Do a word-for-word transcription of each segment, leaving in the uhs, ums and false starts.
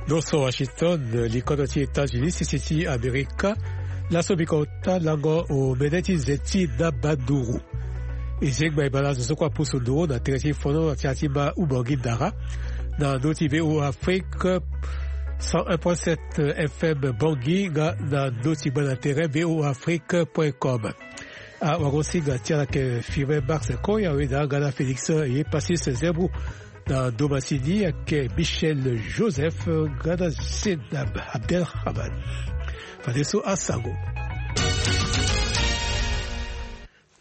Noso Washington, likodo ti États-Unis, sese ti Amerika. Laso biko ota lango omene ti nze ti na banduru. E zengba e bala zo so kue apusu nduru na tere ti fono na tia ti ma Ubangui Dara. Na ndö ti V O A Afrique, cent un point sept F M Bangui, nga na ndö ti gba na tere V O A Afrique point com. Awagosinga ti ala ayeke Firmin Marc Koya, weda nga na Félix ye Passis Zebou. Na ndo masini ayeke Michel Joseph nga na Zeinab Abdelrahman. Fadeso asango.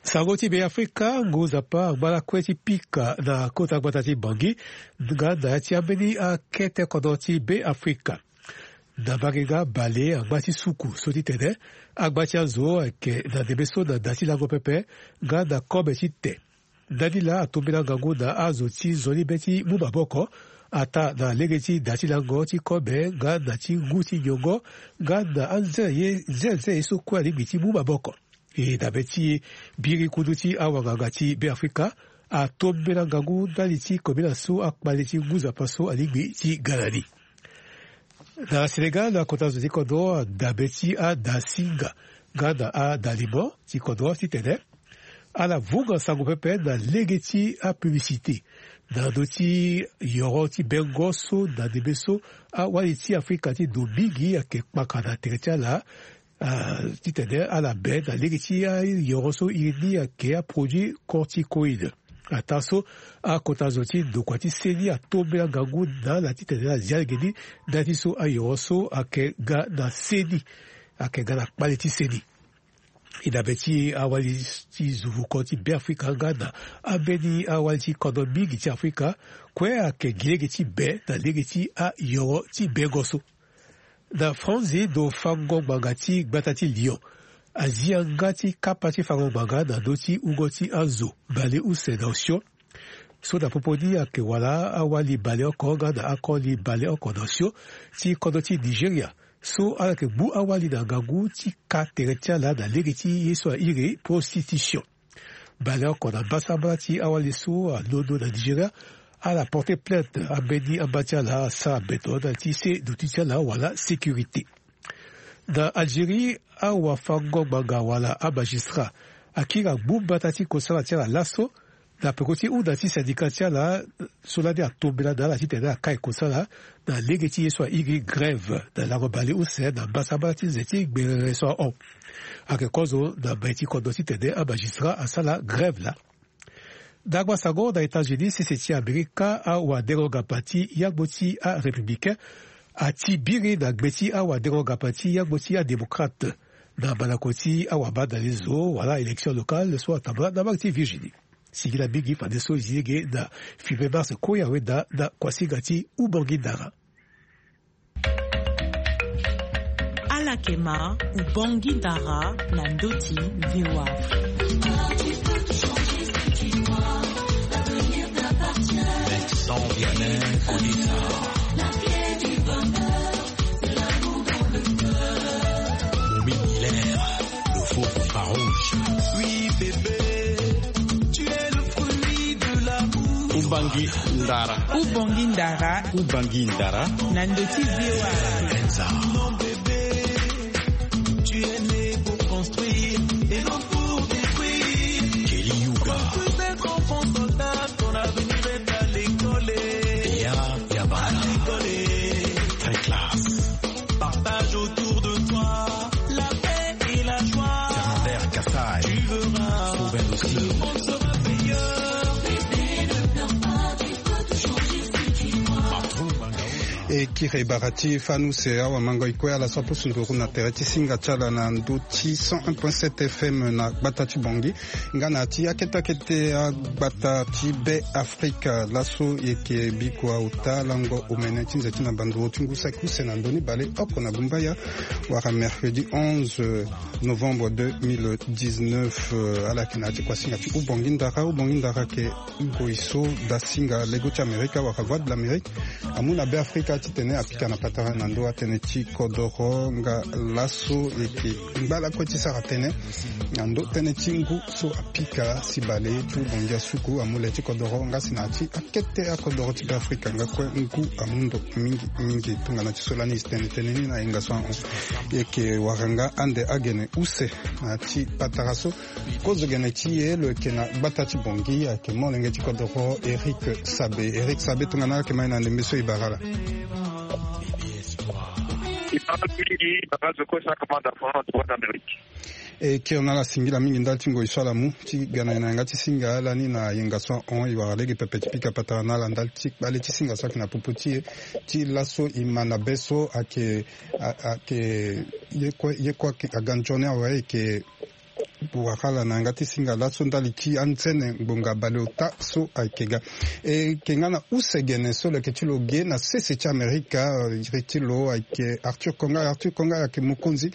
Sango ti Beafrika, ngu nzapa angba lakue ti pika na kota gbata ti Bangui nga na ya ti ambeni akete kodro ti Beafrika. Na mbage nga bale angba ti suku so ti tene angba ti azo ayeke na ndembe so na da ti lango pepe nga na kobe ti te. Ndani laa atombela ngangu na azo ti nzoni be ti mu maboko, ataa na lege ti da ti lango ti kobe nga na ti ngu ti nyongo nga na anze ye nzenze ye so kue alingbi ti mu maboko. E dabe ti biri kundu ti awanganga ti Beafrika atombela ngangu ndali ti kobela so akpale ti ngu nzapa so alingbi ti ga na ni. Na Sénégal, na kota zo ti kodro, dabe ti adasinga nga na adalimo ti kodro titene ala vunga sango pepe na lege ti apublicité na ndö ti yoro ti bengo so na ndembe so awali ti Afrika ti ndo mingi ayeke kpaka na tere ti ala. Ah, titene ala be na lege ti ayoro so iri ni ayeke aproduit corticoïde. Ataa so akota zo ti ndokua ti seni atombela ngangu na ala titene ala zia lege ni ndali ti so ayoro so ayeke ga na seni, ayeke ga na kpale ti seni. E dabe ti awali ti zuvukon ti Beafrika nga na ambeni awali ti kodro mingi ti Afrika kue ayeke gi lege ti be na lege ti ayoro ti bengo so. Na Franzi, ndo fango ngbanga ti gbata ti Lyon azi yanga ti kapa ti fango ngbanga na ndö ti hungo ti azo baleuse na osio. So na popo ni ayeke wala awali baleoko nga na akoli baleoko na osio ti kodro ti Nigeria. So ala yeke gbu awali na ngangu ti ka tere ti ala na lege ti ye so airi prostitution. Baleoko na mbasambala ti awali so alondo na Nigeria, ala porte plainte. Ambeni amba ti ala asara beto na ti se duti ti ala wala sécurité. Na Algérie, awafango-ngbanga wala amagistrat akiri agbu mbata ti kosala ti ala laso na peko ti hunda ti syndicat ti ala so lani atombela na ala titene akai kosala na lege ti ye so airi grève na lango baleuse na mbasambala ti nze ti gberere so ahon. Ayeke kozo na mai ti kodro titene amagistrat asala grève laa. Dagba sango na États-Unis, sese ti Amerika, awadengo ngapa ti yangbo ti arépublicain ati biri na gbe ti awadengo ngapa ti yangbo ti adémocrate na mandako ti awabandali zo wala élection locale so atambula na mbage ti Virginie. Singila mingi fadeso e zi lege na Firmin Mars Koya weda na kuasinga ti Ubangui Dara. Ala yeke ma Ubangui Dara na ndö ti V O A Afrique. Vincent Vianney Kodisa. Romy Hilaire, le fauve farouche. Oui, bébé, tu es le fruit de l'amour. Ubangui Dara. Ubangui Dara. Ubangui Dara. Na ndö ti V O A. Enza. Non, bébé, tu es né pour construire et non pour détruire. Kelly Yuga. Construis cet enfant soldat, ton avenir est à l'école. Bea Yabala. À l'école. Très classe. Partage autour de toi la paix et la joie. Fernandez Kassai. Tu verras. Fauve Industrie. Le monde sera meilleur. Bébé, ne pleure pas, tu peux tout changer si tu crois. Patron Bangaola. E kiri bara ti fanu se awa mango e kue ala so apusu nduru na tere ti singa ti ala na ndö ti cent un point sept F M na gbata ti Bangui. Nga na ya ti akete akete agbata ti Be Afrika laso e yeke bikua ota lango omene ti nze ti na banduru ti ngu saki use na ndö ni baleoko na gumbaya wala mercredi onze novembre deux mille dix-neuf. Euh, ala yeke na ya ti kuasinga ti Ubangui Dara. Ubangui Dara ayeke ngoi so dasinga lego ti Amerika wala Voix de l'Amérique amu na Be Afrika. Titene apika na patara na ndö atënë ti kodoro nga laso eke ngba lakue ti sara tënë na ndö tënë ti ngu so apika si bale ti bongi asuku amu le ti kodoro nga si na ya ti akete akodoro ti Beafrika nga kue ngu amu ndo mingi mingi. Tongana ti so lani e si tene tënë ni na yenga so ahon, eke wara nga ande agene use na ya ti patara so. Kozo gene ti e lo yeke na gbata ti Bangui ayeke molenge ti kodoro Eric Sabe. Eric Sabe, tongana ala yeke ma e na ndembe so e bara ala. E bara ala mingi, e bara ala zo kue so akamata fana na Droit d'Amérique. E kiri na ala singila mingi ndali ti ngoi so ala mu ti ga na e na yanga ti singa lani na yenga so ahon. E wara lege pepe ti pika patara na ala ndali ti kpale ti singa so ayeke na popo ti e ti laso e ma na be so ayeke a- ayeke ye kue ye kue ayeke aga nzoni awe ayeke wara ala na yanga ti singa laso ndali ti anzene ngbonga baleota so ayeke ga. E yeke nga na use gene so lo yeke ti lo ge na sese ti Amerika, eh, iri ti lo ayeke Arthur Kongai. Arthur Kongai ayeke mokonzi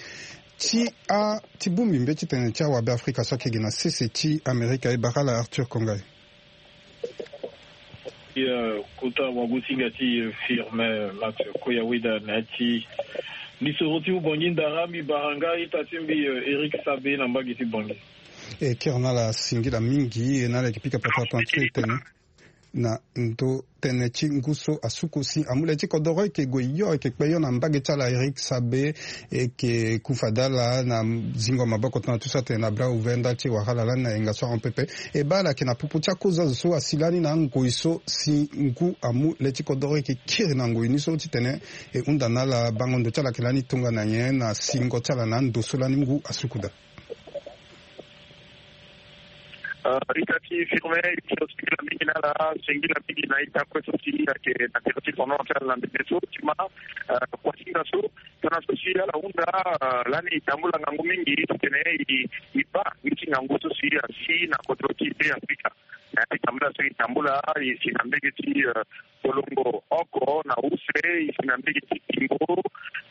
ti a ti bongbi mbeti tene ti awabe Afrika so ayeke ge na sese ti Amerika. E bara ala Arthur Kongai. Ti, eh, kota wagosinga ti, eh, Firmin Max Koyaweda na ya ti lisoro ti Ubangui Ndara, mbi bara nga ita ti mbi, eh, Eric Sabe na mbage ti Bangui. E kiri na ala singila mingi, e na ala yeke pika patara tongana ti so e tene na ndo tënë ti ngu so asuku si amu le ti kodoro, e yeke gue yo, e yeke kpe yo na mbage ti ala Eric Sabe. E yeke ku fade ala na zingo maboko tongana ti so atene na bras ouvert ndali ti e wara ala lani na yenga so ahon pepe. E baa ala yeke na popo ti akozo azo so asi lani na angoi so si ngu amu le ti kodoro, e yeke kiri na ngoi ni so titene e hunda na ala bango ndo ti ala ayeke lani tongana nyen na singo ti ala na ando so lani ngu asuku daa. Ah, ita ti Firmin, e ti lo singila mingi na ala, singila mingi na ita kue so si ayeke na tere ti tono ti ala na ndembe so ti ma, ah, kuasinga so, tongana so si ala hunda, ah, lani e tambula ngangu mingi titene e, e baa ngi ti ngangu so si asi na kodro ti Be Afrika. Na ya ti tambula so e tambula, e si na mbege ti, ah, Kolongo oko na use, e si na mbege ti Bingo,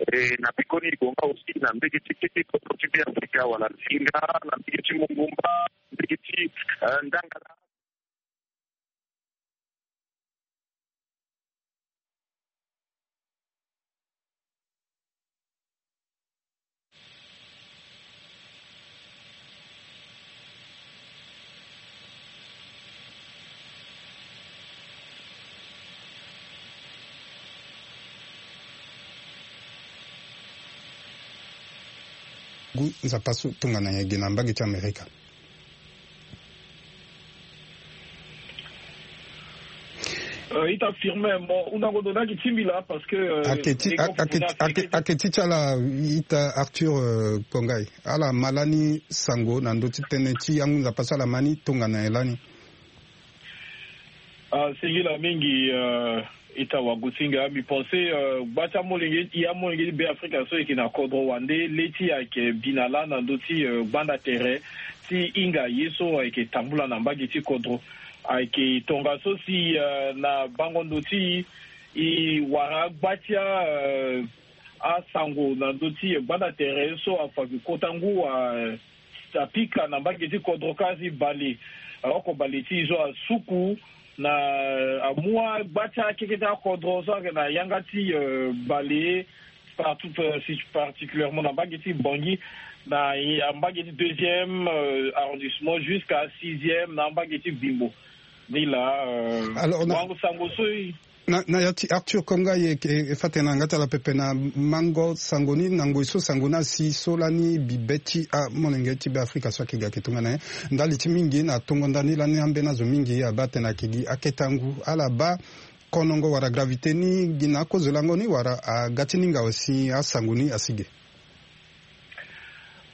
e, na pekoni e gue nga aussi na mbege ti kete kodro ti Be Afrika wala Zinga, na mbege ti Mongomba, mbege ti, eh, Ndangala. Ngu nzapa so tongana nyen gi na mbage ti Amerika? Euh, ita Firmin, mo hundango ndo na gi ti mbi laa parce que, euh, ake ti, ake ti, ake ti ala ita Arthur, euh, Kongai. Ala ma lani sango na ndö ti tënë ti angu nzapa so ala ma ni tongana nyen lani? Ah, singila mingi, euh, ita wagosinga, mbi pense, euh, gba ti amolenge, e amolenge ti Be Afrika so e yeke na kodro wande, le ti e ayeke bi na laa na ndö ti, euh, gbanda tere ti hinga ye so ayeke tambula na mbage ti kodro. Ayeke tongaso si, euh, na bango ndo ti e, e wara gba ti a, euh, asango na ndö ti gbanda tere so afa gi kota ngu, euh, apika na mbage ti kodro kâ si bale, eh, oko bale ti e so asuku na, eh, amu agba ti akeke ti akodro so ayeke na yanga ti, eh, bale, partout, eh, si, particulièrement na mbage ti Bangui, na, eh, mbage ti deuxième, eh, arrondissement jusqu'à sixième na mbage ti Bimbo. Ni laa, eh, alors, na wango sango so e, Na, na ya ti Arthur Kongai, e, e, e fa tene na yanga ti ala pepe na mango sango ni na ngoi so sango ni asi so lani bibe ti amolenge ti Be Afrika so ayeke ga ayeke tongana nyen. Ndali ti mingi na tongo ndani lani ambeni azo mingi abaa tene ayeke gi akete angu. Ala baa konongo wala gravité ni gi na akozo lango ni wala aga ti ninga aussi asango ni asi ge?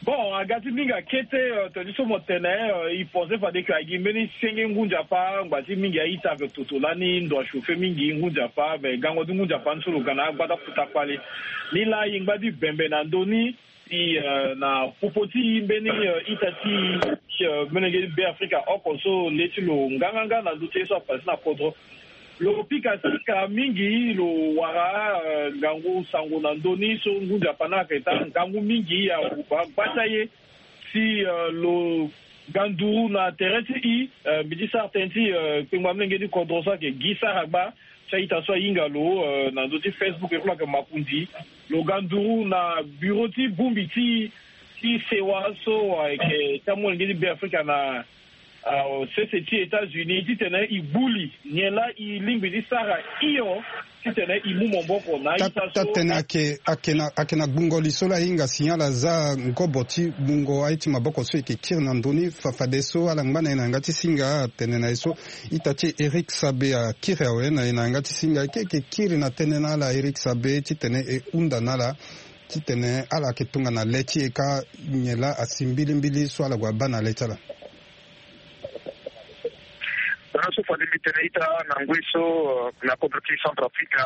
Bon, aga ti mingi akete, euh, tongana ti so mo tene, euh, e pense fade ke agi mbeni senge ngu nzapa, ngba ti mingi a-ita ayeke toto lani ndo achauffer mingi ngu nzapa, mais gango ti ngu nzapa ni so lo ga na agba ti akota kpale. Ni laa e ngba ti bembe na ndö ni, si, euh, na popo ti mbeni, euh, ita ti, euh, mbeni ge ti Be Afrika oko so le ti lo nganganga na ndö ti ye so apasse na kodro. Lo pika sika mingi, lo wara, eh, ngangu sango na ndö ni so ngu nzapa ni ayeke taa ngangu mingi, awuba gba ti aye. Si, eh, lo ga nduru na tere ti e, eh, mbi ti sara tënë ti, eh, kpengba molenge ti kodro so ayeke Guy Saragba. Ti a-ita so ahinga lo, euh, na ndö ti Facebook, e fo lo yeke makonzi lo ga nduru na bureau ti bongbi ti, ti sewa so ayeke ti amolenge ti Beafrika na, ah, sese ti États-Unis titene e gbu li nyen laa e lingbi ti sara hio titene e mu maboko na a-ita so. Tatene ayeke, ayeke na, ayeke na gbungo li so laa e hinga si ala za ngobo ti gbungo aye ti maboko so e yeke kiri na ndö ni. Fa-, fadeso ala ngba na e na yanga ti singa atene na e so ita ti e Eric Sabe akiri awe na e na yanga ti singa. E ke, e ke kiri na tënë na ala Eric Sabe titene e hunda na ala titene ala yeke tongana le ti e kâ nyen laa asi mbilimbili so ala gue abaa na le ti ala. Tongana so fade mbi tene ita na ngoi so, euh, na kodro ti Centrafrique,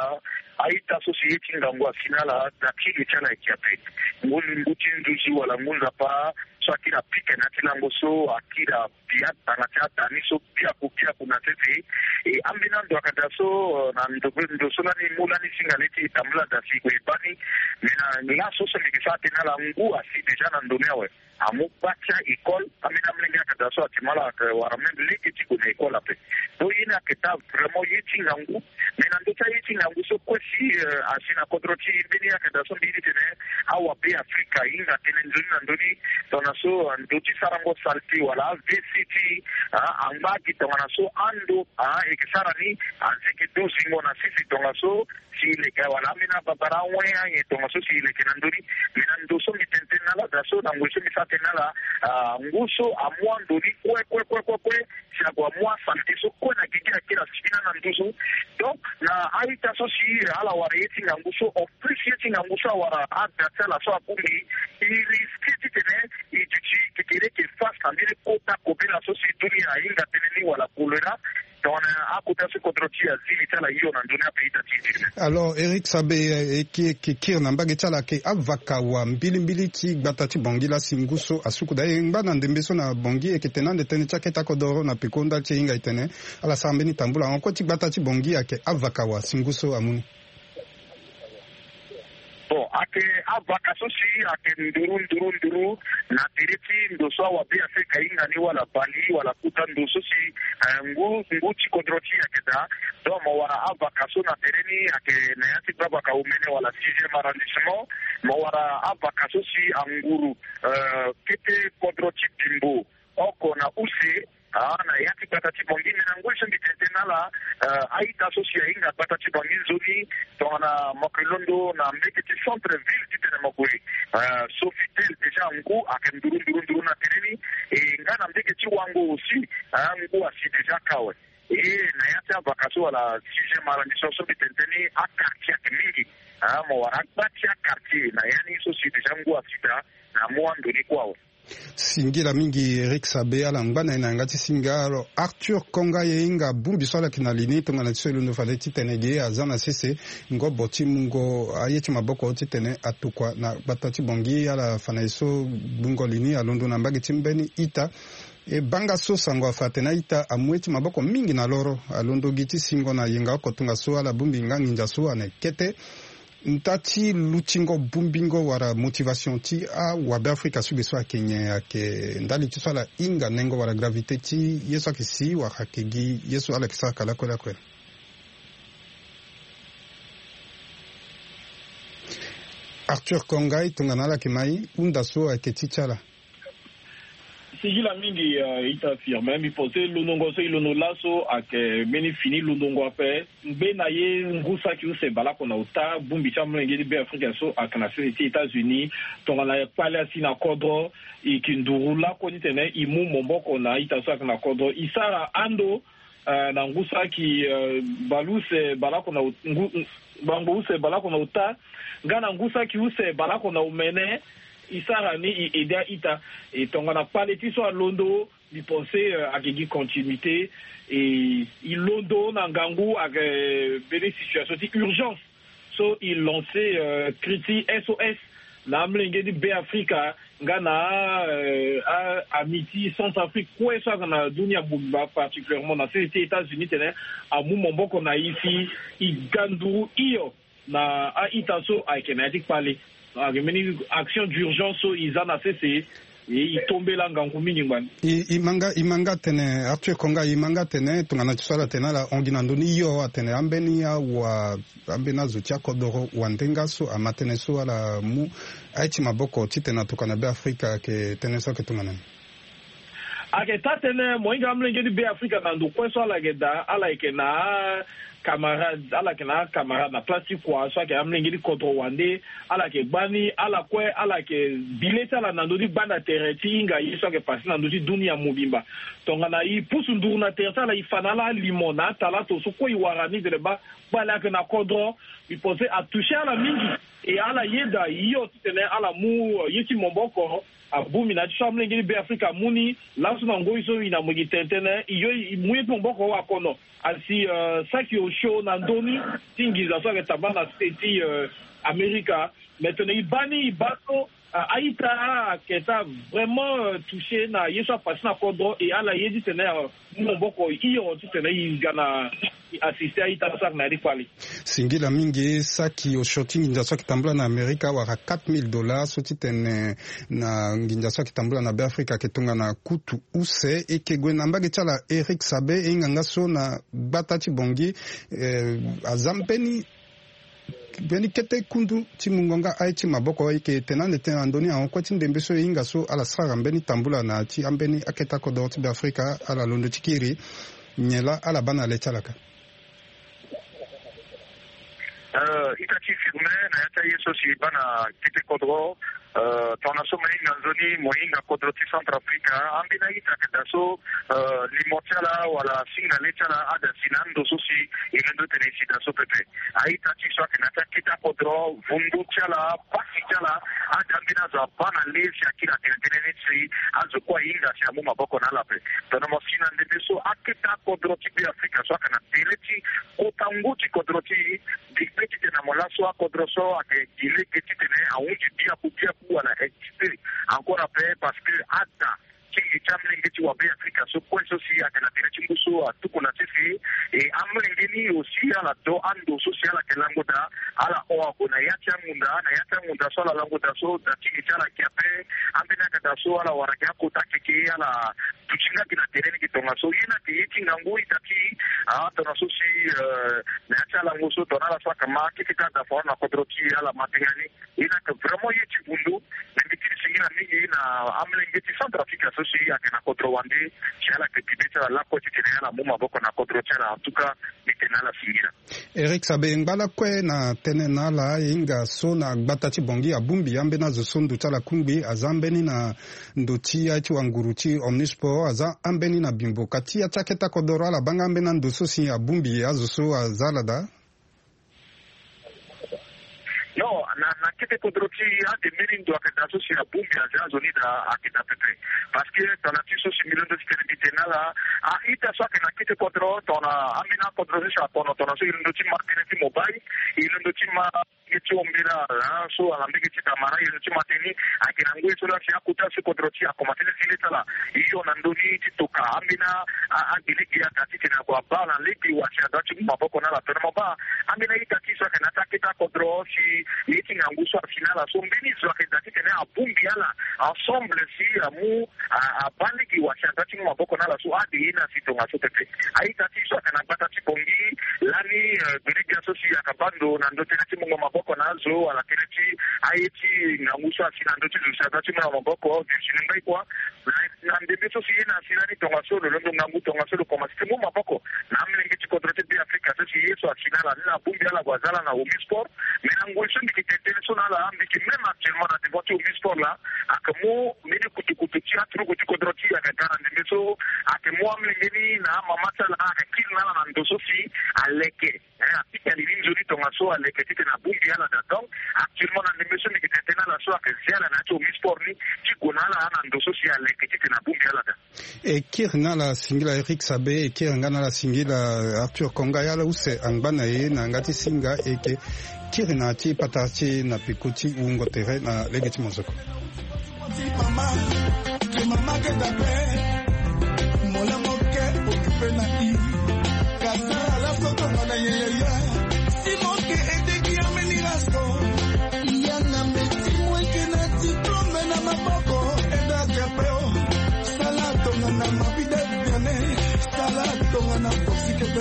a-ita so si ye ti ngangu asi na ala, na ti li ti ala ayeke ape. Ngu, ngu ti nduzu wala ngu nzapa so akiri apike na ya ti lango so akiri apia tanga ti ada ni so biaku biaku na sese. E ambeni ando ayeke daa so, euh, na ndo, ndo so lani e mu lani singa le ti e tambula daa si e gue e baa ni. Me na laso so mbi yeke sara tënë na ala, ngu asi déjà na ndo ni awe. Amu gba ti a-école, ambeni amolenge ayeke daa so ayeke mu ala, ayeke wara même lege ti gue na école ape. Donc ye ni ayeke daa vraiment ye ti ngangu. Mais na ndö ti aye ti ngangu so kue si, euh, asi na kodro ti e, mbeni ayeke daa so mbi ye ti tene awabe Afrika e hinga tënë nzoni na ndö ni. Tongana so, euh, ndö ti sarango saleté wala a-V C ti, ah, angba gi tongana so ando, ah, e yeke sara ni, azi gi du zingo na sese tongana so si e leke wala ambeni ababara awen anyen tongana so si e leke na ndö ni. Me na ndo so mbi tene tënë na ala daa so, na ngoi so mbi sara tënë na ala, ah, ngu so amu ando ni kue kue kue kue kue si ague amu asaleté so kue na gigi akiri asi fini na nduzu. Donc na a-ita so si ala wara ye ti ngangu so, en plus ye ti ngangu so awara ada ti ala so abongbi, e risqué titene e duti kekereke face na mbeni kota kobela so si dunia ahinga tënë ni wala choléra. Tongana akota so kodro ti e azi li ti ala hio na ndö ni ape, ita ti e. Alors Eric Sabe, eh, e ke, e ke kiri na mbage ti ala ayeke avaka wa mbilimbili ti gbata ti Bangui laa si ngu so asuku daa. E ngba na ndembe so na Bangui, e yeke tene ande tënë ti akete akodoro na peko ndali ti e hinga e tene ala sara mbeni tambula. Ahon kue ti gbata ti Bangui ayeke avaka wa si ngu so amu ni. Bon, ayeke avaka so si ayeke nduru nduru nduru na tere ti ndo so awabe Afrika ahinga ni wala bali wala kota ndo so si, eh, ngu, ngu ti kodro ti e ayeke daa. Donc mo wara avaka so na tere ni ayeke na ya ti gbavaka omene wala sixième arrondissement. Mo wara avaka so si anguru, eh, kete kodro ti Bimbo oko na use, ah, na ya ti gbata ti Bangui. Me na ngoi so mbi tene tënë na ala, eh, a-ita so si ahinga gbata ti Bangui nzoni, tongana mo yeke londo na mbege ti centre ville titene mo gue, eh, Sofitel, déjà ngu ayeke nduru nduru nduru na tere ni. E nga na mbege ti Wango aussi, ah, ngu asi déjà kâ awe. E na ya ti avaka so wala sixième arrondissement so mbi tene tënë ni, aquartier ayeke mingi. Ah, mo wara agba ti aquartier na ya ni so si déjà ngu asi daa na amu ando ni kue awe. Singila mingi Eric Sabe, ala ngba na e na yanga ti singa. Alors Arthur Konga, ye hinga bongbi so ala yeke na li ni tongana ti so e londo fade titene ge aza na sese ngobo ti mungo aye ti maboko titene atokua na gbata ti Bangui. Ala fa na e so gbungo li ni alondo na mbage ti mbeni ita. E banga so sango afa atene a-ita amu ye ti maboko mingi na loro, alondo gi ti singo na yenga oko tongaso ala bongbi nga nginza so ana e kete. Nda ti lutingo bongbingo wala motivation ti awabe Afrika so ge so ayeke nyen? Ayeke ndali ti so ala hinga nengo wala gravité ti ye so ayeke si wala ayeke gi ye so ala yeke sara ka lakue lakue? Arthur Konga, e tongana ala yeke ma e, hunda so ayeke ti ti ala. Singila mingi, eh, ita Firmin. Mbi pense londongo so e londo laso ayeke mbeni fini londongo ape. Ngbene ye ngu saki use baleoko na ota bongbi ti amolenge ti Beafrika so ayeke na sese ti États-Unis, tongana kpale asi na kodro, e yeke nduru lakue titene e mu maboko na a-ita so ayeke na kodro. E sara ando, eh, na ngu saki, eh, baleuse baleoko na ot-, ngu, bango use baleoko na ota, nga na ngu saki use baleoko na omene. E sara ni, e aidé a-ita. E tongana kpale ti so alondo, mbi pense, euh, ayeke gi continuité. E, e londo na ngangu ayeke, euh, mbeni situation ti urgence. So e lancé, euh, cri ti S O S na amolenge ti Beafrika nga na, euh, a, ami ti Centrafrique kue so ayeke na dunia mobimba, particulièrement na sese ti États-Unis, titene amu maboko na e si e ga nduru hio na a-ita so ayeke na ya ti kpale. Ayeke mbeni action d'urgence so e za na sese. E, e tombela ngangu mingi ngbani. E, e ma nga, e ma nga atene, Arthur Konga, e ma nga atene tongana ti so ala tene ala hon gi na ndö ni hio, atene ambeni awa, ambeni azo ti akodoro wande nga so ama tënë so ala mu aye ti maboko titene atokua na Beafrika, ayeke tënë so ayeke tongana ni. Ayeke taa-tënë, mo hinga amolenge ti Beafrika na ndo kue so ala yeke daa, ala yeke na acamarade, ala yeke na acamarade na place ti kua so ayeke amolenge ti kodro wande, ala yeke gbani, ala kue, ala yeke bi le ti ala na ndö ti gbanda tere ti hinga ye so ayeke pase na ndö ti dunia mobimba. Tongana e pusu nduru na tere ti ala, e fa na ala alimo na atalato so kue e wara ni, tene baa kpale ayeke na kodro, e pense atouche ala mingi. E ala yeda hio titene ala mu, eh, ye ti maboko abongbi na ya ti so amolenge ti Beafrika amu ni laso na ngoi so e na mo gi tene tënë, e yo e mu ye ti maboko awakono. Asi, eh, saki osio na ndö ni ti nginza so ayeke tambula na state ti, eh, Amerika. Me tene e baa ni, e baa so, ah, a-ita ayeke taa vraiment, eh, touche na ye so apase na kodro, e ala ye titene, eh, mu maboko hio titene e ga na e assister a-ita so ayeke na ya ti kpale. Singila mingi. Saki osio ti nginza so ayeke tambula na Amerika awara quatre mille dollars so titene na nginza so ayeke tambula na Beafrika ayeke tongana kutu use. E yeke gue na mbage ti ala Eric Sabe, e hinga nga so na gbata ti Bangui, eh, aza mbeni, mbeni kete kundu ti mungo nga aye ti maboko. E yeke tene ande tënë na ndö ni ahon kue ti ndembe so e hinga so ala sara mbeni tambula na ya ti ambeni akete akodoro ti Beafrika, ala londo ti kiri. Nyen laa ala baa na le ti ala ka? Euh, ita ti firme na ya ti aye so si e baa na kete kodro, euh, tongana so mo hinga nzoni, mo hinga kodro ti Centrafrique, ambeni a-ita ayeke daa so, euh, limo ti ala wala singa le ti ala ada si na ando so si e londo tene e si daa so pepe. A-ita ti so ayeke na ya ti akete akodro, vundu ti ala, pasi ti ala, ada ambeni azo abaa na le si akiri atene tënë ni si azo kue ahinga si amu maboko na ala ape. Tongana mo si na ndembe so akete akodro ti Beafrika so ayeke na tere ti kota ngu ti kodro ti e, mbi kpe titene na mo laso akodro so ayeke gi lege titene ahunzi biaku biaku wala exister encore ape, parce que ada ti ngi ti amolenge ti wa Beafrika so kue so si ayeke na tere ti ngu so atuku na sese. E amolenge ni aussi ala do ando so si ala yeke lango daa, ala hon ague na ya ti angunda, na ya ti angunda so ala lango daa so da ti ngi ti ala ayeke ape. Ambeni ayeke daa so ala wara gi akota keke, ala duti nga gi na tere ni gi tongaso. Ye ni ayeke ye ti ngangu ita ti, ah, tongana so si, euh, na ya ti alango so tongana ala so ayeke ma keke ti ada foro na kodro ti e, ala ma tenga ni. Ye ni ayeke vraiment ye ti vundu. Me mbi tiri singila mingi na amolenge ti Centrafrique so si ayeke na kodro wande, si ala yeke bi be ti ala lakue titene ala mu maboko na kodro ti ala. En tout cas, mbi tene na ala singila. Eric Sabe, ngba lakue na tënë na ala, e hinga so na gbata ti Bangui abongbi ambeni azo so ndo ti ala kungbi, aza ambeni na ndo ti aye ti wanguru ti Omnisport, aza ambeni na Bimbo. Ka ti ya ti akete akodoro, ala baa nga ambeni ando so si abongbi azo so aza ala daa? Non, na, na kete kodro ti ade mbeni ndo ayeke daa so si abongbi aza azo ni daa ayeke daa pepe. Parce que tongana ti so si mbi londo titene mbi tene na ala, a-ita so ayeke na kete kodro, tongana ambeni akodro so si akono, tongana so e londo ti ma tënë ti mobile, e londo ti ma mbege ti ombela, ah, so ala mbege ti tamara, e londo ti ma tënë ni ayeke na ngoi so laa si akota so kodro ti e akomanse ti zi le ti ala hio na ndö ni ti toka ambeni a, a, agelegbia daa titene ague abaa na lege wa si adaa ti mu maboko na ala. Tongana mo baa ambeni a-ita ti so ayeke na ya ti akete akodro si ye ti ngangu so asi na ala so mbeni zo ayeke daa titene abongbi ala ensemble si amu a, abaa lege wa si adaa ti mu maboko na ala so ade ye ni asi tongaso pepe. A-ita ti so ayeke na gbata ti Bangui lani, euh, gbenegbia so si ayeke baa ndo na ndö tënë ti mungo maboko na azo wala tënë ti aye ti ngangu so asi na ndö ti zo si adaa ti mu na maboko, zo si ni mbai kua. Na, na ndembe so si ye ni asi lani tongaso lo londo ngangu tongaso lo komanse ti mu maboko na amolenge ti kodro ti Beafrika so si ye so asi na ala ni, na abongbi ala ague aza ala na Omnisport. Mais na ngoi so mbi yeke tene tënë so na ala, mbi yeke même actuellement na devant ti Omnisport laa, ayeke mu mbeni kutukutu ti aturugu ti kodro ti e ayeke ga na ndembe so, ayeke mu amolenge ni na amama ti ala, ayeke kiri na ala na ndo so si aleke. Eh, apika lili nzoni tongaso aleke titene abongbi ala daa. Donc actuellement na ndembe so mbi yeke tene tënë na ala so ayeke zi ala na ya ti Omnisport ni ti gue na ala na ndo so si aleke titene abongbi ala daa. E kiri na ala singila Eric Sabe, e kiri nga na ala singila Arthur Konga, ya ala use angba na e na yanga ti singa, e yeke kiri na ya ti patara ti e na peko ti wungo tere na lege ti mozoko.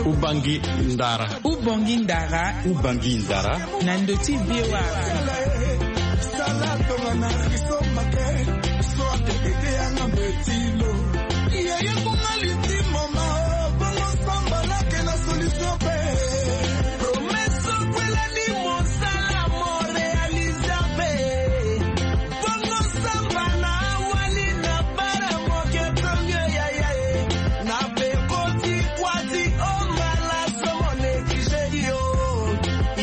Ubangi ndara. Ubangi ndara. Ubangi ndara. Na ndö ti V O A. Sala tonga na riso make. So ake bebe yanga mbetilo. Yeye kunga litimo ma. Bongo samba lake na solution pe. Promesse kwela ni mosala mo réaliser pe. Bongo samba na wali na bara moke tonge yaya e. Na pe koti kwati o mala somo négligé yo.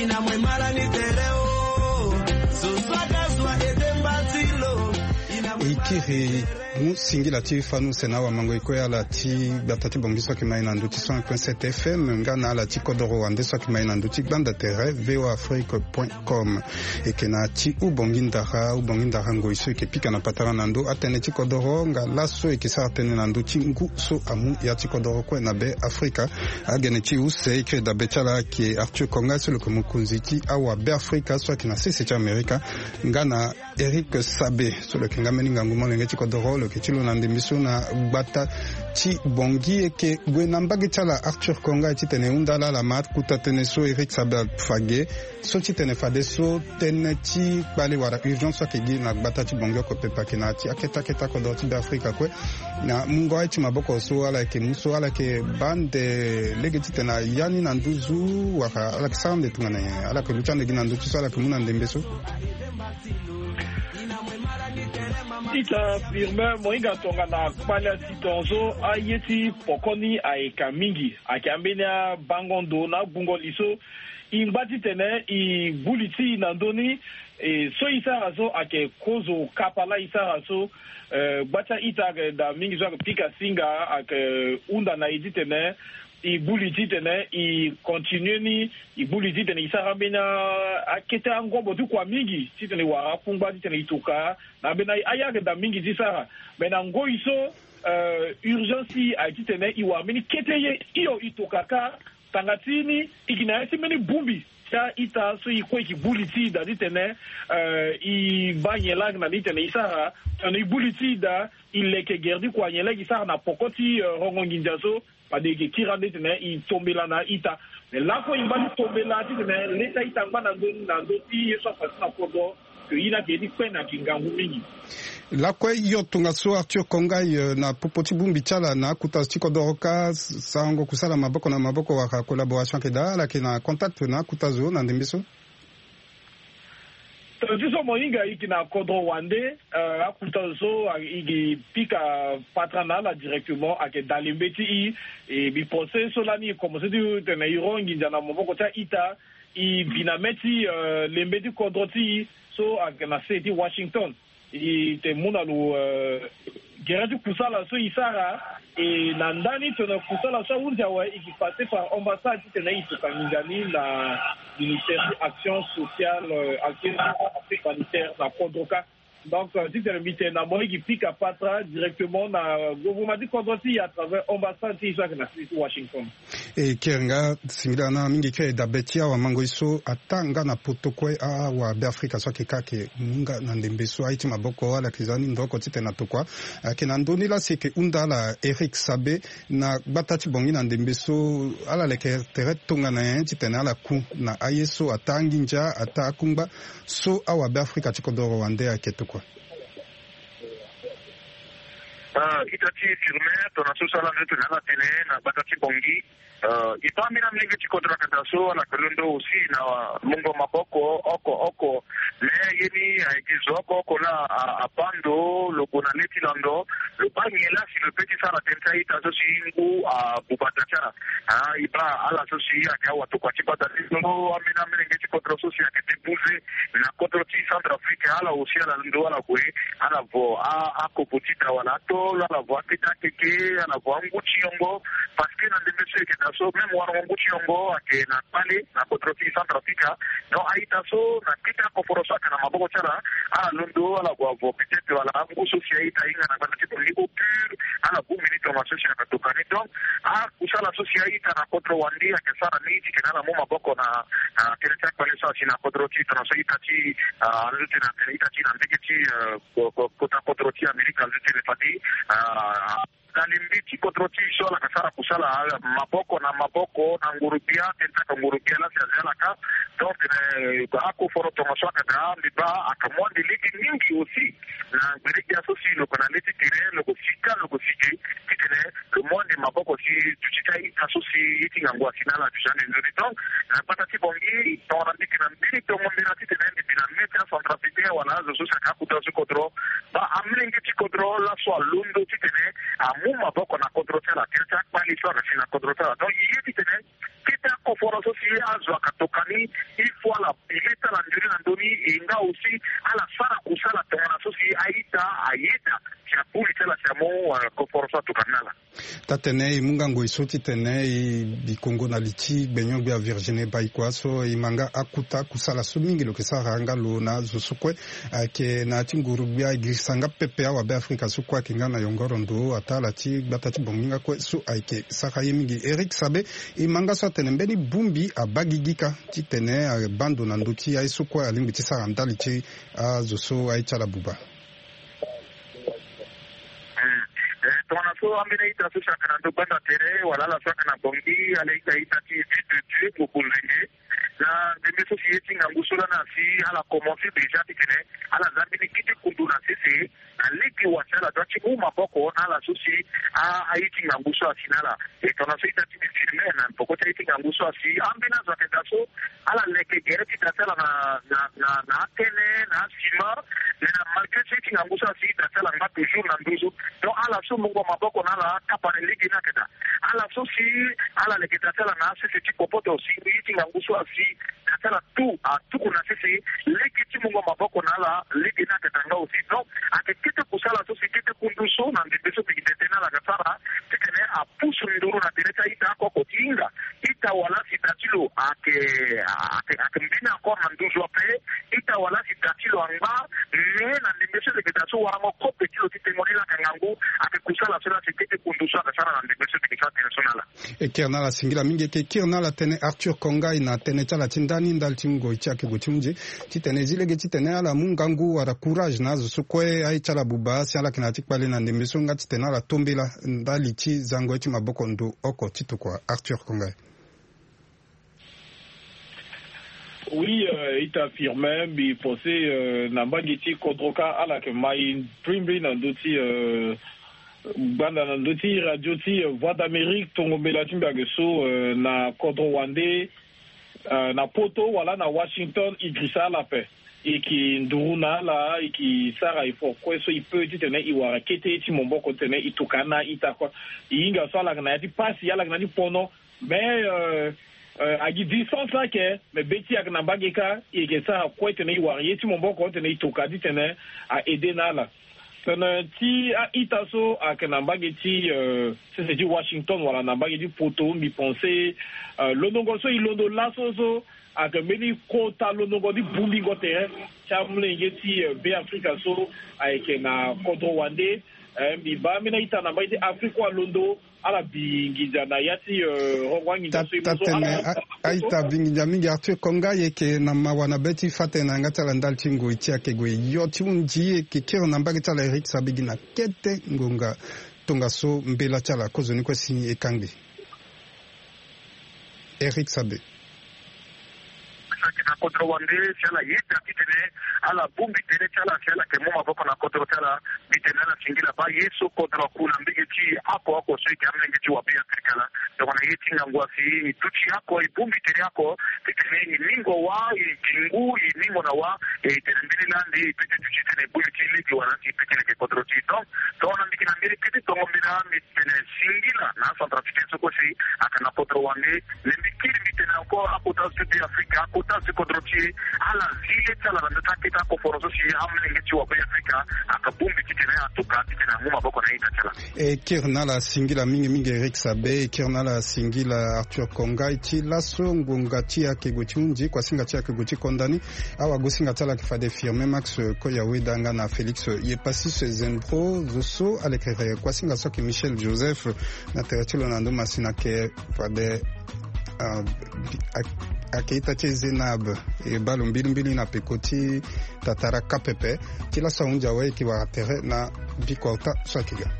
Ina mwe mala ni tere o. Zozwa gazwa ete mbatilo. Ina mwe mala ni tere. E kiri mu singila ti fanu sena awamango e kue ala ti gbata ti Bangui so ayeke ma e na ndö ti cent un point sept F M nga na ala ti kodoro wande so ayeke ma e na ndö ti gbanda tere V O A Afrique point com. E yeke na ti Ubongi ndara, Ubongi ndara ngoi so e yeke pika na patara na ndö atënë ti kodoro nga laso e yeke sara tënë na ndö ti ngu so amu ya ti kodoro kue na Be Afrika. Agene ti use e kiri dabe ti ala ayeke Arthur Konga so lo yeke mokonzi ti awa Be Afrika so ayeke na sese ti Amerika, nga na Eric Sabe so lo yeke nga mbeni ngangu molenge ti kodoro, lo yeke ti lo na ndembe so na gbata ti Bangui. E yeke gue na mbage ti ala Arthur Konga titene e hunda ala ala ma akuta tënë so Eric Sabe afa ge. So titene fadeso tënë ti kpale wala urgence so ayeke gi na gbata ti Bangui oko pepe ayeke na ya ti akete akete akodoro ti Be Afrika kue. Na mungo aye ti maboko so ala yeke mu so ala yeke baa nde lege titene aya ni na nduzu wala ala yeke sara nde tongana nyen? Ala yeke lu ti ande gi na ndö ti so ala yeke mu na ndembe so. Ita Firmin, mo hinga tongana kpale ya ti tongaso, aye ti poko ni ayeke mingi. Ayeke ambeni abango ndo na agbungo li so e ngba titene e gbu li ti e na ndö ni. E, so e sara so ayeke kozo kapa laa e sara so. Eh, gba ti a-ita ayeke daa mingi so ayeke pika singa ayeke hunda na e titene e gbu li titene e continue ni, e gbu li titene e sara ambeni a-, akete angobo ti kua mingi titene e wara akungba titene e toka na ambeni a-, aye ayeke daa mingi ti sara. Me na ngoi so, eh, urgence ti e ayeke titene e wara mbeni kete ye hio e toka kâ. Tanga ti ni, e yeke na ya ti mbeni bongbi ti a-ita so e kue e yeke gbu li ti e daa titene, eh, e baa nyen laa ayeke na ni titene e sara, tongana e gbu li ti e daa, e leke gere ti kua nyen laa e yeke sara na poko ti, eh, rongo nginza so. Fade e yeke kiri ande titene e tombela na a-ita. Me lakue e ngba ti tombela titene lê ti a-ita angba na ndö ni na ndö ti ye so afa ti na kodro. Ke ye ni ayeke ye ti kpe na yeke ngangu mingi. Lakue hio tongaso Arthur Konga, eh, na popo ti bongbi ti ala na akota zo ti kodoro kâ, sarango kusala maboko na maboko wala collaboration ayeke daa, ala yeke na contact na akota zo na ndembe so? Tongana ti so mo hinga e yeke na kodro wande, eh, akota zo so a, e yeke pika patara na ala directement ayeke daa lembe ti e, e, mbi pense so lani e komanse ti tene e ro nginza na maboko ti a-ita, e bi na mê ti, eh, lembe ti kodro ti e so ayeke na se ti Washington. E tene mu na lo, eh, gere ti kusala so e sara, e na ndani tongana kusala so ahunzi awe, e yeke passe par ambassade titene e toka nginza ni na ministère ti action sociale, eh, action humanitaire na kodro kâ. Donc, euh, titene mbi tene na mo e yeke pika patara directement na gouvernement ti kodro ti e à travers ambassade ti e so ayeke na sese ti Washington. E kiri nga singila na mingi kiri dabe ti awamango e so ataa nga na poto kue, awabeafrika so ayeke kâ ayeke mu nga na ndembe so aye ti maboko ala yeke za ni ndroko titene atokua. Ayeke na ndö ni laa si e yeke hunda ala Eric Sabe na gbata ti Bangui na ndembe so, ala leke tere tongana nyen titene ala ku na aye so ataa anginza, ataa akungba so awabeafrika ti kodoro wande ayeke tokua. Ah, ita ti Firmin, tongana so so ala nde tene ala tene na gbata ti Bangui. Ah, e baa ambeni amolenge ti kodro ayeke daa so ala yeke londo aussi na mungo maboko oko oko. Mais ye ni ayeke zo oko oko laa a, abaa ndo lo gue na lê ti londo, lo baa nyen laa si lo peut ti sara tënë ti a-ita so si ngu abuba daa ti ala. Ah, e baa ala so si ayeke awatokua ti gbata ti so, ambeni amolenge ti kodro so si ayeke débouze na kodro ti Centrafrique, ala aussi ala londo ala gue, ala vo a, akobo ti da wala ato, ala vo akete akeke, ala vo angu ti yongo. Parce que na ndembe so e yeke daa so, même warango ngu ti yongo ayeke na kpale na kodro ti Centrafrique. Donc a-ita so na kete akoforo so ayeke na maboko ti ala, ala londo ala gue avo peut-être wala angu so si a-ita ahinga na gbata ti Bangui au pur, ala gbu mbeni tongaso si ayeke tokua ni. Donc akusala so si a-ita na kodro wande ayeke sara ni titene ala mu maboko na, na tere ti akpale so asi na kodro ti tongana so ita ti, ah, alo titene atene ita ti na mbage ti, eh, ko-, ko-, kota kodro ti Amerika alo titene fade, ah, Na limbi ti kodro ti e so ala yeke sara kusala maboko na maboko na nguru-gbia tene ti aka nguru-gbia laa si aza ala ka. Donc tene akoforo tongaso ayeke daa mbi baa ayeke mu ande lege mingi aussi na gbele-gbia so si lo yeke na le ti tere lo yeke si ka lo yeke si ge titene lo mu ande maboko si duti ti a-ita so si ye ti ngangu asi na ala duti ande nzoni. Donc na gbata ti Bangui tongana mbi yeke na mbeni tongo mbela titene mbi bi na me ti acentrafricain wala azo so si ayeke akota so ti kodro, baa amolenge ti kodro laso alondo titene amu maboko na kodro ti ala tere ti akpale so ayeke si na kodro ti ala. Donc e ye titene kete akoforo so si azo ayeke tokua ni, il faut ala pile ti ala nzoni na ndö ni. E nga aussi ala sara kusala tongana so si a-ita ayeda si abuli ti ala si amu koforo so atokua ni na ala. Taa-tene e mu nga ngoi so titene e bi kongo na li ti gbenyo-gbia Virginie Baïkoi so e ma nga akota kusala so mingi lo yeke sara nga lo na azo so kue ayeke na ya ti nguru-gbia e girisa nga pepe awabe afrika so kue ayeke nga na yongoro ndo ataa ala ti gbata ti Bangui nga kue so ayeke sara ye mingi. Eric Sabe, e ma nga so atene mbeni bongbi abaa gigi kâ titene abaa ndo na ndö ti aye so kue alingbi ti sara ndali ti azo so aye ti ala buba. Tongana so ambeni a-ita so si ayeke na ndo gbanda tere wala ala so ayeke na Bangui ala ita ita ti vie de Dieu ngboko nzenge. Na ndembe so si ye ti ngangu so lani asi ala commence déjà titene ala za mbeni kete kundu na sese na lege wa si ala doit ti mu maboko na ala so si a aye ti ngangu so asi na ala. E tongana so ita ti mbi firme na poko ti aye ti ngangu so asi ambeni azo ayeke daa so ala leke gere ti da ti ala na na na na akene na asima. Mais na malgré so ye ti ngangu so asi da ti ala ngba toujours na nduzu. Donc ala so mungo maboko na ala akapa na lege ni ayeke daa. Ala so si ala leke da ti ala na asese ti kopoto si ye ti ngangu so asi da ti ala tout atuku na sese lege ti mungo maboko na ala lege ni ayeke daa nga aussi. Donc ayeke kete kusala so si kete kundu so na ndembe so mbi gi tene tene ala ga sara titene apusu nduru na tere ti a-ita oko ti hinga ita wala si da ti lo ayeke ayeke ayeke mbeni encore na nduzu ape. Ita wala si da ti lo angba. Mais na ndembe so leke daa so warango kope ti lo ti tengo ni laa ayeke ngangu. Ayeke kusala so laa si kete kundu so ayeke sara na ndembe so mbi gi sara tene so na ala. E kiri na ala singila mingi. E yeke kiri na ala tënë Arthur Kongai na tënë ti ala ti ndani ndali ti ngoi ti ayeke gue ti hunzi titene e zi lege titene ala mu ngangu wala courage na azo so kue aye ti ala buba si ala yeke na ya ti kpale na ndembe so nga titene ala to mbela ndali ti zango ye ti maboko ndo oko ti tokua. Arthur Kongai. Oui, euh, ita firme mbi pense euh, na mbage ti kodro kâ ala yeke mai mbrimbri na ndö ti euh, gbanda na ndö ti radio ti euh, Voix d'Amérique tongo mbela ti mbi ayeke so euh, na kodro wande euh, na Poto wala na Washington e girisa ala ape. E yeke nduru na ala, e yeke sara effort kue so e peut titene e wara kete ti maboko titene e tokua na a-ita kue. E hinga so ala yeke na ya ti pasi, ala yeke na ya ti pono. Mais euh, euh, agi distance ayeke, mais be ti e ayeke na mbage kâ, e yeke sara kue titene e wara ye ti maboko titene e tokua titene a aide na ala. Tënë ti a-ita so ayeke na mbage ti euh, sese ti Washington wala na mbage ti Poto, mbi pense euh, londongo so e londo laso so ayeke mbeni kota londongo ti bongbingo tere ti amolenge ti euh, Be Afrika so ayeke na kodro wande. Euh, mbi baa ambeni a-ita na mbage ti Afrika alondo ala bi nginza na ya ti euh, rongo anginza so e mu so ala. Tënë a-ita abi nginza mingi. Arthur Kongai, e yeke na mawa na be ti fa tënë na yanga ti ala ndali ti ngoi ti ayeke gue yo ti hunzi. E yeke kiri na mbage ti ala Eric Sabe gi na kete ngonga tongaso mbela ti ala kozoni kue si e kangbi. Eric Sabe. Saki na kodro wande si ala yeda titene ala bongbi tere ti ala si ala yeke mu maboko na kodro ti ala. Mbi tene ala singila baa ye so kodro aku na mbage ti oko oko so e yeke amolenge ti wa Be Afrika laa. Tongana ye ti ngangu asi e duti oko e bongbi tere oko titene e mingo wa e gi ngu e mingo na wa. E tene mbeni laa nde e peut ti duti titene e bongbi ti lege wala si e peut ti leke kodro ti e. Donc tongana mbi yeke na mbeni kete tongo mbela mbi tene singila na acentrafricain so kue si ayeke na kodro wande. Mais mbi kiri mbi tene encore akota zo ti Be Afrika, akota zo ti kodro ti e, ala zi le ti ala na ndö ti akete akoforo so si amolenge ti wa Be Afrika ayeke bongbi titene atuka titene amu maboko na a-ita ti ala. E kiri na ala singila mingi mingi Eric Sabe. E kiri na ala singila Arthur Kongai. Ti laso ngonga ti ayeke gue ti hunzi, kuasinga ti ayeke gue ti konda ni. Awagosinga ti ala ayeke fade Firmin Max Koyaweda nga na Félix Yepassis Zembro. Zo so alekere kuasinga so ayeke Michel Joseph na tere ti lo na ndo masina ayeke fade ah, bi- ak- ayeke ita ti Zénab. E baa lo mbilimbili na peko ti tatara kâ pepe. Ti laso ahunzi awe e yeke wara tere na bikua ota so ayeke ga.